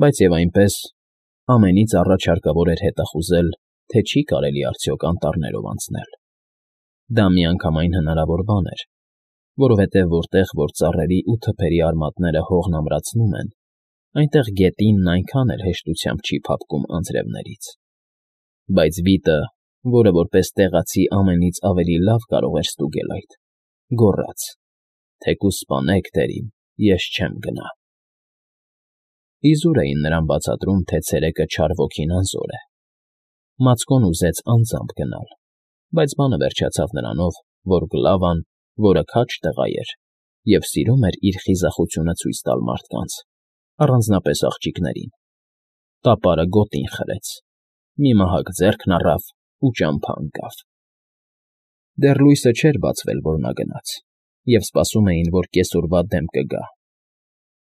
Բայց և այնպես, ամենից առաջ հարկավոր էր հետախուզել, թե չի կարելի արդյոք անտառներով անցնել. դա միանգամայն հնարավոր բան էր, որովհետև որտեղ որ ծառերի ու թփերի արմատները հողն ամրացնում են, այնտեղ գետինն այնքան էլ հեշտությամբ չի փափկում անձրևներից։ Բայց վիտը, որը որպես տեղացի ամենից ավելի լավ կարող էր ստուգել այդ, գոռաց. «Թեկուզ սպանեք, տերին, ես չեմ գնա»։ Իզուր էին նրան բացատրում, թե ցերեկը չար ոգին անզոր է։ Մացկոն ուզեց անձամբ գնալ, բայց բանը վերջացավ նրանով, որ Գլավան, որը քաջ տղա էր և սիրում էր իր խիզախությունը ցույց տալ մարդկանց, առանձնապես աղջիկներին, տապարը գոտին խրեց, մի մահակ ձեռքն առավ ու ճամփա ընկավ։ Դեռ լույսը չէր բացվել, որ նա գնաց, և սպասում էին, որ կեսօրվա դեմք կգա։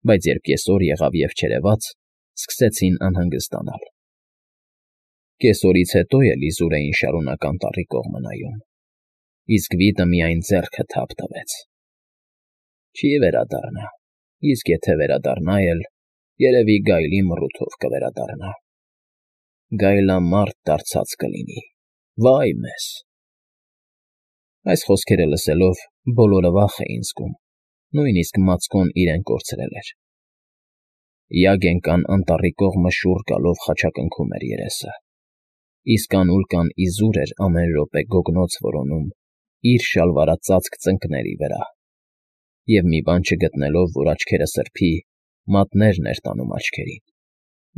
Բայց երբ կեսօր եղավ և չերևաց, սկսեցին անհանգստանալ։ Կեսօրից հետո էլ իզուր էին շարունակ անտառի կողմը նայում, իսկ վիտը միայն ձեռքը թափ տվեց։ Չի վերադառնա, իսկ եթե վերադառնա էլ, երևի գայլի մռութով կվերադառնա։ Գայլամարդ դարձած կլինի, վա՜յ մեզ։ Այս խոսքերը լսելով բոլորը վախ էին զգում, նույնիսկ Մացկոն իրեն կորցրել էր։ Յագենկան անտառի կողմը շուռ գալով խաչակնքում էր երեսը, իսկ Անուլկան իզուր էր ամեն րոպե գոգնոց որոնում իր շալվարածածկ ծնկների վրա, և մի բան չգտնելով, որ աչքերը սրբի, մատներն էր տանում աչքերին,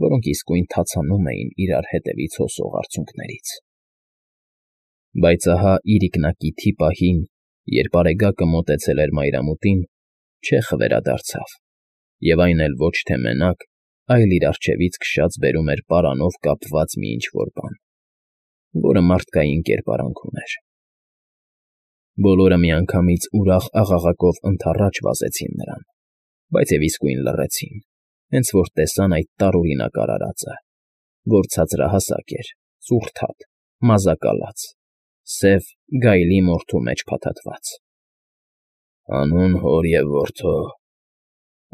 որոնք իսկույն թացանում էին իրար հետևից հոսող արցունքներից։ Բայց ահա իրիկնակիթի պահին, երբ Արեգակը մոտեցել էր մայրամուտին, չեխը վերադարձավ, և այն էլ ոչ թե մենակ, այլ իր առջևից քշած բերում էր պարանով կապված մի ինչ֊որ բան, որը մարդկային կերպարանք ուներ։ Բոլորը միանգամից ուրախ աղաղակով ընդառաջ վազեցին նրան, բայց և իսկույն լռեցին, հենց որ տեսան այդ տարօրինակ արարածը, որ ցածրահասակ էր, ծուռթատ, մազակալած, սև գայլի մորթու մեջ փաթաթված։ «Հանուն հոր և որդու,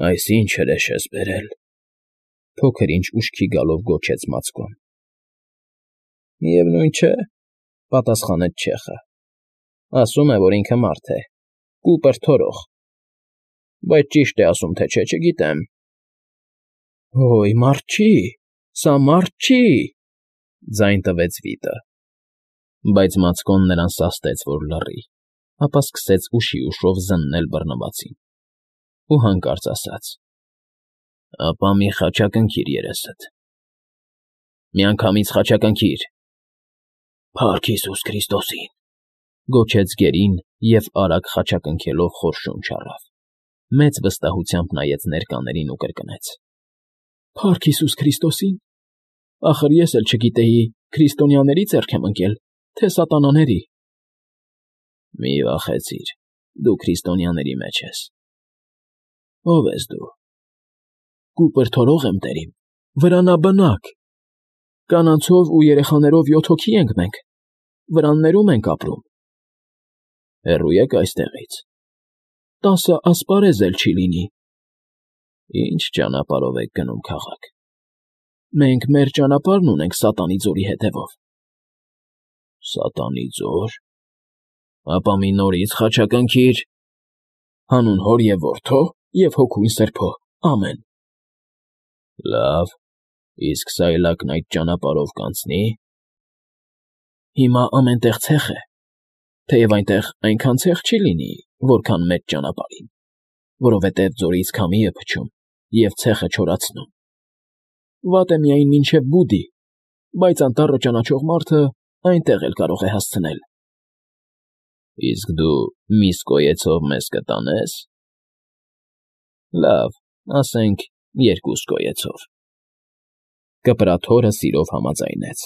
այս ի՞նչ հրեշ ես բերել», փոքր֊ինչ ուշքի գալով գոչեց Մացկոն։ «Միևնույն չէ,֊ պատասխանեց չեխը,֊ ասում է, որ ինքը մարդ է, կուպր թորող, բայց ճիշտ է ասում, թե չէ, չգիտեմ»։ «Հո՜յ, մարդ չի, սա մարդ չի,֊ ձայն տվեց վիտը։ Բայց Մացկոն նրան սաստեց, որ լռի, ապա սկսեց ուշի ուշով զննել բռնվածին ու հանկարծ ասաց. «Ապա մի խաչակնքիր երեսդ, միանգամից խաչակնքիր»։ «Փա՜ռք Հիսուս Քրիստոսին,֊ գոչեց գերին և արագ խաչակնքելով խորշում չառավ, մեծ վստահությամբ նայեց ներկաներին ու կրկնեց. «Փա՜ռք Հիսուս Քրիստոսին… Ախր ես էլ չգիտեի քրիստոնյաների ձեռք եմ ընկել, թե սատանաների»։ «Մի վախեցիր, դու քրիստոնյաների մեջ ես»։ «Ո՞վ ես դու»։ «Կուպր թորող եմ, տերին, վրանաբնակ, կանանցով ու երեխաներով 7 հոգի ենք մենք, վրաններում ենք ապրում»։ «Հեռո՞ւ եք այստեղից»։ «10 ասպարեզ էլ չի լինի»։ «Ի՞նչ ճանապարհով եք գնում քաղաք»։ «Մենք մեր ճանապարհն ունենք Սատանի Ձորի հետևով»։ «Սատանի Ձոր… Ապա մի նորից խաչակնքիր»։ «Հանուն Հոր և Որդու և Հոգուն Սրբո, ամեն»։ «Լավ, իսկ սայլակն այդ ճանապարհով կանցնի՞։ Հիմա ամեն տեղ ցեխ է, թեև այնտեղ այնքան ցեխ չի լինի, որքան մեծ ճանապարհին, որովհետև ձորից քամի է փչում և ցեխը չորացնում։ Վատ է միայն մինչև Բուդի, բայց անտառը ճանաչող մարդը այնտեղ էլ կարող է հասցնել»։ «Իսկ դու միս կոյեցով մեզ կտանե՞ս»։ «Լավ, ասենք 2 կոյեցով»։ Կպրաթորը սիրով համաձայնեց,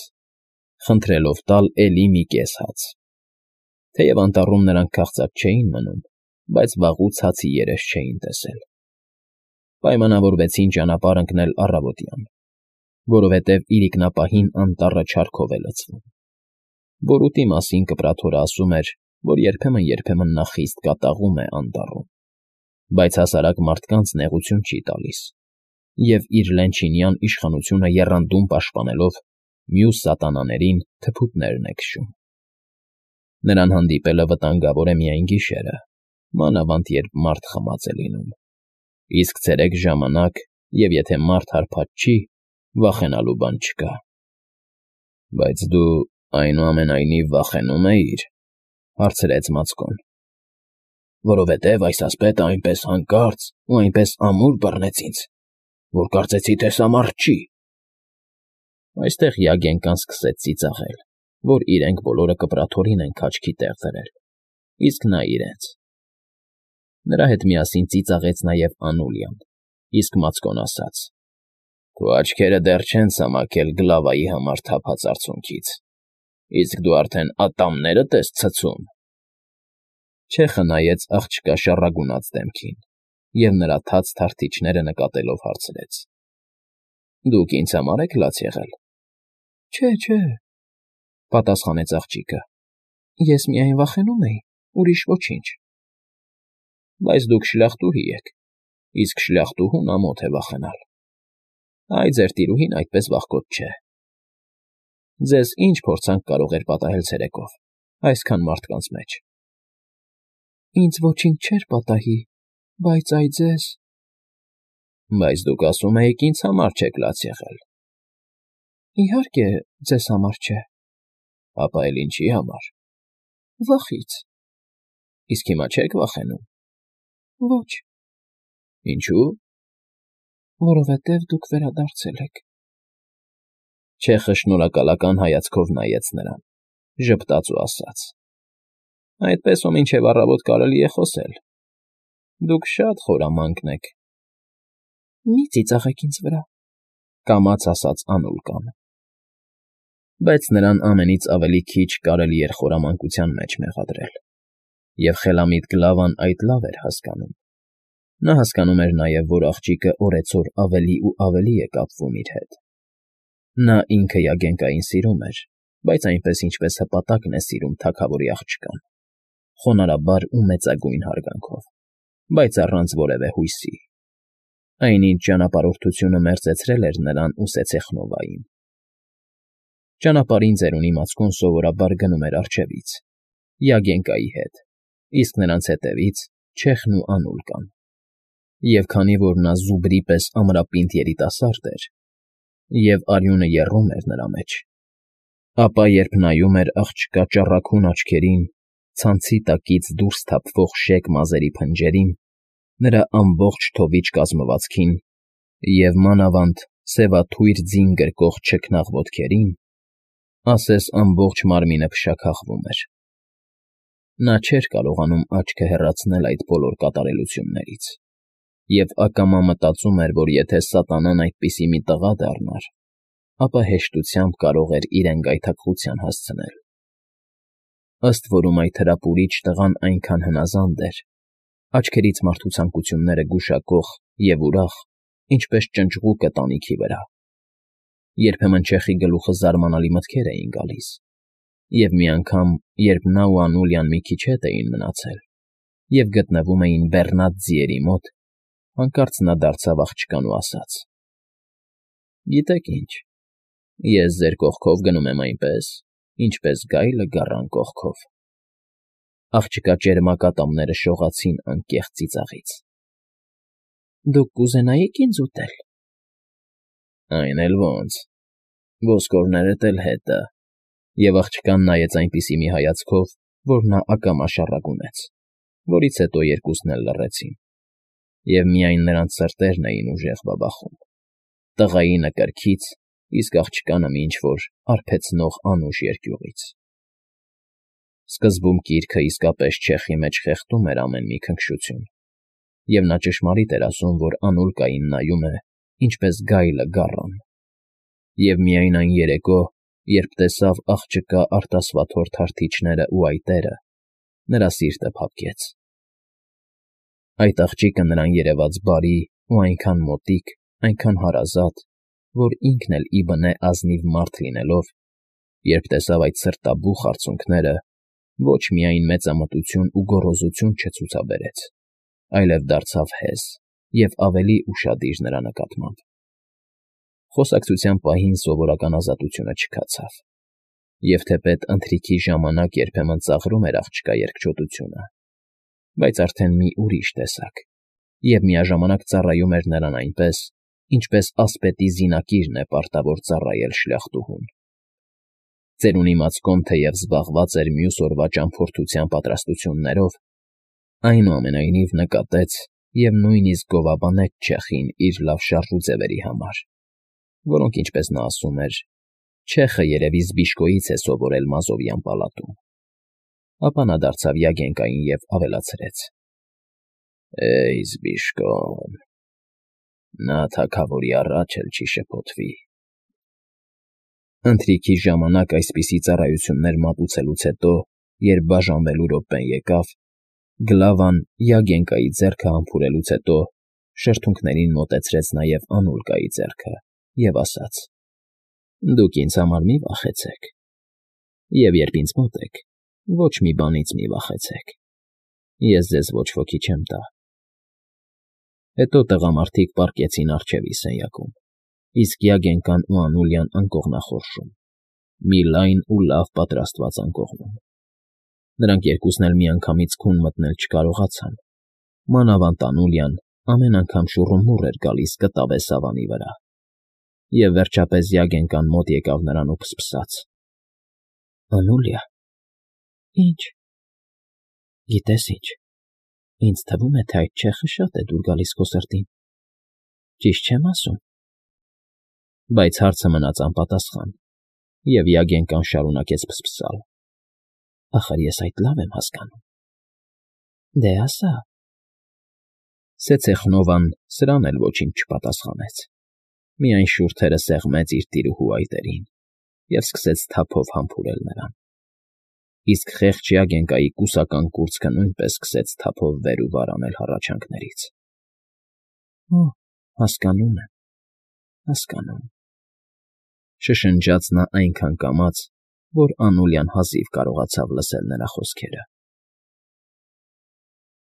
խնդրելով տալ էլի մի կես հաց։ Թեև անտառում նրանք քաղցած չէին մնում, բայց վաղուց հացի երես չէին տեսել։ Պայմանավորվեցին ճանապարհ ընկնել առավոտյան, որովհետև իրիկնապահին անտառը չարքով է լցվում։ Բորուտի մասին Կպրաթորը ասում էր, որ երբեմն նա խիստ կատաղում է անտառում, բայց հասարակ մարդկանց նեղություն չի տալիս, և իր լենչինյան իշխանությունը եռանդուն պաշտպանելով մյուս սատանաներին թփուտներն է քշում։ Նրան հանդիպելը վտանգավոր է միայն գիշերը, մանավանդ երբ մարդ խմած է լինում, իսկ ցերեկ ժամանակ, և եթե մարդ հարբած չի, վախենալու բան չկա։ ֊ Բայց դու, այնուամենայնիվ, վախենո՞ւմ էիր,֊ հարցրեց Մացկոն։ ֊ Որովհետև այս ասպետը այնպես հանկարծ ու այնպես ամուր բռնեց ինձ, որ կարծեցի, թե սա մարդ չի։ Այստեղ Յագենկան սկսեց ծիծաղել, որ իրենք բոլորը կպրաթորին են քաչքի տեղ դրել, իսկ նա՝ իրենց։ Նրա հետ միասին ծիծաղեց նաև Անուլիան, իսկ Մացկոն ասաց. «Քո աչքերը դեռ չեն սամաքել գլավայի համար թափած արցունքից, իսկ դու արդեն ատամներդ ես ցցում»։ Չեխը նայեց աղջկա շառագունած դեմքին և նրա թաց թարթիչները նկատելով հարցրեց. «Դուք ինձ համար եք լաց եղել»։ Չէ,֊ պատասխանեց աղջիկը, ես միայն վախենում էի, ուրիշ ոչինչ։ Բայց դուք շլախտուհի եք, իսկ շլախտուհուն ամոթ է վախենալ։ Այ ձեր տիրուհին այդպես վախկոտ չէ։ Ձեզ ինչ փորձանք կարող էր պատահել ցերեկով, այսքան մարդկանց մեջ։ Ինձ ոչինչ չէր պատահի, բայց այ ձեզ… Բայց դուք ասում էիք ինձ համար չեք լաց եղել։ Իհարկե, ձեզ համար չէ։ Ապա էլ ինչի համար։ Վախից։ Իսկ հիմա չեք վախենում։ Ոչ։ Ինչու՞։ Որովհետև դուք վերադարձել եք։ Չեխը շնորհակալական հայացքով նայեց նրան, ժպտաց ու ասաց. Այդպես ու մինչև առավոտ կարելի է խոսել։ Դուք շատ խորամանկ եք։ Մի ծիծաղեք ինձ վրա,֊ կամաց ասաց Անուլկան։ Բայց նրան ամենից ավելի քիչ կարելի էր խորամանկության մեջ մեղադրել, և խելամիտ Գլավան այդ լավ էր հասկանում։ Նա հասկանում էր նաև, որ աղջիկը օրեցօր ավելի ու ավելի է կապվում իր հետ։ Նա ինքը Յագենկային սիրում էր, բայց այնպես, ինչպես հպատակն է սիրում թագավորի աղջկան, խոնարհաբար ու մեծագույն հարգանքով, բայց առանց որևէ հույսի։ Այնինչ ճանապարհորդությունը մերձեցրել էր նրան ու Սեցեխնովային։ Ճանապարհին ծերունի Մացկոն սովորաբար գնում էր առջևից, Յագենկայի հետ, իսկ նրանց հետևից՝ Չեխն ու Անուլկան։ Եվ քանի որ նա զուբրի պես ամրապինդ երիտասարդ էր, և արյունը եռում էր նրա մեջ, ապա երբ նայում էր աղջկա ճառագուն աչքերին, ցանցի տակից դուրս թափվող շեկ մազերի փնջերին, նրա ամբողջ թովիչ կազմվածքին և, մանավանդ, սևաթույր ձին գրկող չքնաղ ոտքերին, ասես ամբողջ մարմինը փշաքաղվում էր։ Նա չէր կարողանում աչքը հեռացնել այդ բոլոր կատարելություններից և ակամա մտածում էր, որ եթե սատանան այդպիսի մի տղա դառնար, ապա հեշտությամբ կարող էր իրեն գայթակղության հասցնել։ Ըստ որում այդ հրապուրիչ տղան այնքան հնազանդ էր, աչքերից մարդու ցանկությունները գուշակող և ուրախ, ինչպես ճնճղուկը տանիքի վրա։ Երբեմն Չեխի գլուխը զարմանալի մտքեր էին գալիս, և մի անգամ, երբ նա ու Անուլիան մի քիչ հետ էին մնացել և գտնվում էին բեռնած ձիերի մոտ, հանկարծ նա դարձավ աղջկան ու ասաց. «Գիտեք ինչ, ես ձեր կողքով գնում եմ այնպես, ինչպես գայլը գառան կողքով»։ Աղջկա ճերմակ ատամները շողացին անկեղծ ծիծաղից։ Դուք կուզենայի՞ք ինձ ուտել։ Այն էլ ո՜նց, ոսկորներդ էլ հետը։ Եվ աղջկան նայեց այնպիսի մի հայացքով, որ նա ակամա շառագունեց, որից հետո երկուսն էլ լռեցին, և միայն նրանց սրտերն էին ուժեղ բաբախում, տղայի նկրքից, իսկ աղջկանը մի ինչ֊որ արբեցնող անուշ երկյուղից։ Սկզբում գիրքը իսկապես Չեխի մեջ խեղդում էր ամեն մի քնքշություն, և նա ճշմարիտ էր ասում, որ Անուլկային նայում է, ինչպես գայլը գառան։ Եվ միայն այն երեկո, երբ տեսավ աղջկա արտասվաթոր թարթիչներն ու այտերը, նրա սիրտը փափկեց։ Այդ աղջիկը նրան երևաց բարի ու այնքան մոտիկ, այնքան հարազատ, որ ինքն էլ ի բնե ազնիվ մարդ լինելով, երբ տեսավ այդ սրտաբուխ արցունքները, ոչ միայն մեծամտություն ու գոռոզություն չցուցաբերեց, այլև դարձավ հեզ և ավելի ուշադիր նրա նկատմամբ։ Խոսակցության պահին սովորական ազատությունը չքացավ, և թեպետ ընթրիքի ժամանակ երբեմն ծաղրում էր աղջկա երկչոտությունը, բայց արդեն մի ուրիշ տեսակ, և միաժամանակ ծառայում էր նրան այնպես, ինչպես ասպետի զինակիրն է պարտավոր ծառայել շլյախտուհուն։ Ծերունի Մածկոն թեև զբաղված էր մյուս օրվա ճամփորդության պատրաստություններով, այնուամենայնիվ նկատեց և նույնիսկ գովաբանեց չեխին իր լավ շարժուձևերի համար, որոնք, ինչպես նա ասում էր, չեխը երևի Զբիշկոյից է սովորել Մազովյան պալատում։ Ապա նա դարձավ Յագենկային և ավելացրեց. «Էյ, Զբիշկոն, նա թագավորի առաջ էլ չի շփոթվի»։ Ընթրիքի ժամանակ այսպիսի ծառայություններ մատուցելուց հետո, երբ բաժանվելու րոպեն եկավ, Գլավան Յագենկայի ձեռքը համբուրելուց հետո շրթունքներին մոտեցրեց նաև Անուլկայի ձեռքը և ասաց. «Դուք ինձ համար մի վախեցեք, և երբ ինձ մոտ եք, ոչ մի բանից մի վախեցեք, ես ձեզ ոչ ոքի չեմ տա»։ Հետո տղամարդիկ պառկեցին առջևի սենյակում, իսկ Յագենկան ու Անուլյան անկողնախորշում, մի լայն ու լավ պատրաստված անկողնում։ Նրանք երկուսն էլ միանգամից քուն մտնել չկարողացան, մանավանդ Անուլյան ամեն անգամ շուռումուռ էր գալիս կտավե սավանի վրա, և վերջապես Յագենկան մոտ եկավ նրան ու ֆսֆսաց. «Անուլիա»։ «Ի՞նչ»։ «Գիտես ինչ, ինձ թվում է, թե այդ չեխը շատ է դուր գալիս քո սրտին, ճիշտ չեմ ասում»։ Բայց հարցը մնաց անպատասխան, և Յագենկան շարունակեց ֆսֆսալ. «Ախր ես այդ լավ եմ հասկանում»։ «Դե ասա»։ Սեցեխնովան սրան էլ ոչինչ չպատասխանեց, միայն շուրթերը սեղմեց իր տիրուհու այտերին և սկսեց թափով համբուրել նրան, իսկ խեղճ Յագենկայի կուսական կուրծքը նույնպես սկսեց թափով վեր ու վար անել հառաչանքներից։ «Օ, հասկանում եմ, հասկանում», շշնջաց նա այնքան կամաց, որ Անուլյան հազիվ կարողացավ լսել նրա խոսքերը։